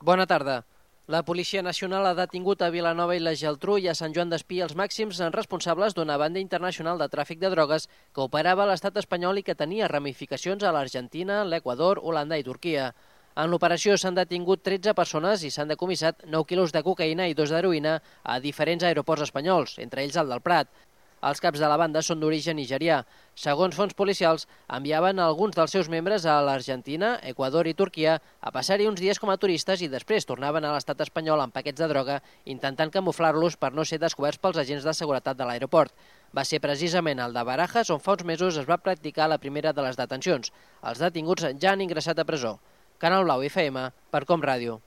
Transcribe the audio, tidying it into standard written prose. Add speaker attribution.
Speaker 1: Bona tarda. La Policia Nacional ha detingut a Vilanova i la Geltrú i a Sant Joan d'Espí els màxims responsables d'una banda internacional de tràfic de drogues que operava a l'estat espanyol i que tenia ramificacions a l'Argentina, l'Equador, Holanda i Turquia. En l'operació s'han detingut 13 persones i s'han decomissat 9 quilos de cocaïna i 2 d'heroïna a diferents aeroports espanyols, entre ells el del Prat. Els caps de la banda són d'origen nigerià. Segons fonts policials, enviaven alguns dels seus membres a l'Argentina, Equador i Turquia a passar-hi uns dies com a turistes i després tornaven a l'estat espanyol amb paquets de droga intentant camuflar-los per no ser descoberts pels agents de seguretat de l'aeroport. Va ser precisament el de Barajas on fa uns mesos es va practicar la primera de les detencions. Els detinguts ja han ingressat a presó. Canal Blau FM, per Com Ràdio.